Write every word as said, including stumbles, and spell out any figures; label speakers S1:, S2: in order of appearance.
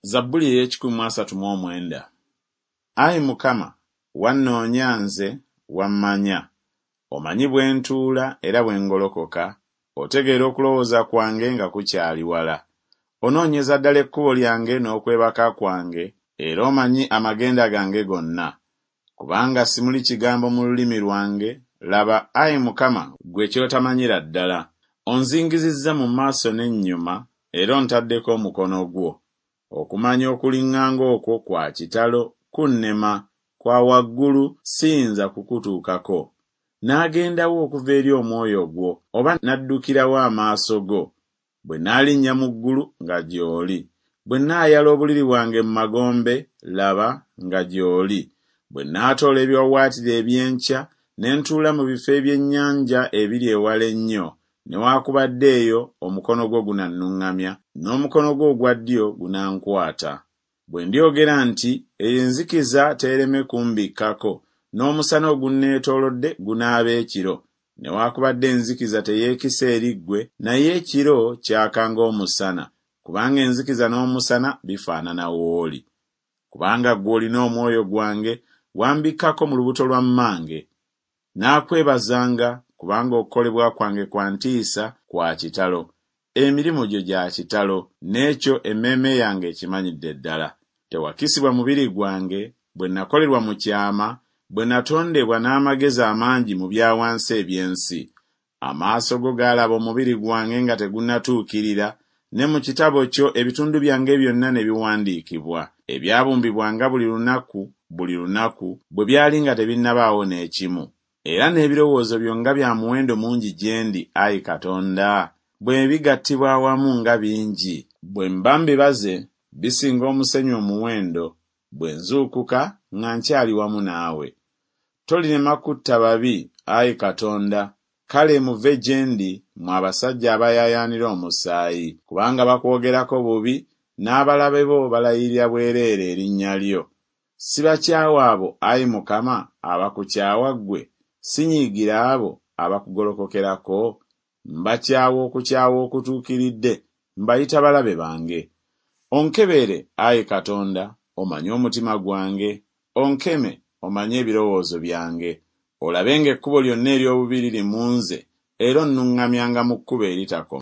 S1: Zabbuli ey'ekikumi mu asatu mu omwenda. Ayi Mukama, wannoonya nze, wammanya. Omanyi bwe ntuula era bwe ngolokoka, otegeera okulowooza kwange nga kukyali wala. Onoonyeza ddala ekkubo lyange n'okwebaka kwange, era omanyi amagenda gange gonna. Kubanga simuli kigambo mu lulimi lwange, laba, ayi Mukama, ggwe ky'otamanyira ddala. Onzingizizza mu maaso n'ennyuma, era ontaddeko omukono gwo. Okumanya okuliŋŋanga okwo kwa kitalo, kunnema, kwa waggulu, siyinza kukutuukako. Naagenda wa okuva eri omwoyo gwo, oba naddukira wa amaaso go? Bwe naalinnya mu ggulu, nga gy'oli; bwe nnaayala obuliri bwange mu magombe, laba, nga gy'oli. Bwe naatoola ebiwaawaatiro eby'enkya, ne ntuula mu bifo eby'ennyanja ebiri ewala ennyo, newaakubadde eyo omukono gwo gunannuŋŋamya, n'omukono gwo ogwa ddyo gunankwata. Bwe ndyogera nti, Enzikiza teereme kumbikkako, n'omusana ogunneetoolodde gunaaba ekiro, newaakubadde enzikiza teyeekisa eri ggwe, naye ekiro kyaka ng'omusana, kubanga enzikiza n'omusana bifaanana w'oli. Kubanga ggwe olina omwoyo gwange, wambikkako mu lubuto lwa mmange. Naakwebazanga, kubanga okukolebwa kwange kwa ntiisa, kwa kitalo. Emirimu gyo gya kitalo, n'ekyo emmeeme yange ekimanyidde ddala. Tewakisibwa mubiri gwange, bwe nakolerwa mu kyama, bwe natondebwa n'amagezi amangi mu bya wansi eby'ensi. Amaaso go gaalaba omubiri gwange nga tegunnatuukirira, ne mu kitabo kyo ebitundu byange byonna ne biwandiikibwa, ebyabumbibwanga buli lunaku buli lunaku, bwe byali nga tebinnabaawo n'ekimu. Era n'ebirowoozo byo nga bya muwendo mungi gye ndi, ayi Katonda! Bwe bigattibwa awamu nga bingi! Bwe mba mbibaze, bisinga omusenyu omuwendo, bwe nzuukuka, nga nkyali wamu naawe. Tolirema kutta babi, ayi Katonda, kale muve gye ndi, mmwe abasajja abayaayaanira omusaayi, kubanga bakwogerako bubi, n'abalabe bo balayirira bwereere erinnya lyo. Sibakyawa abo, ayi Mukama, abakukyawa ggwe? Sinyiigira abo abakugolokokerako? Mbakyawa okukyawa okutuukiridde, mbayita balabe bange. Onkebere, ayi Katonda, omanye omutima gwange, onkeme, omanye ebirowoozo byange. Olabe ng'ekkubo lyonna ery'obubi liri mu nze, era onnuŋŋamyanga mu kkubo eritakoma.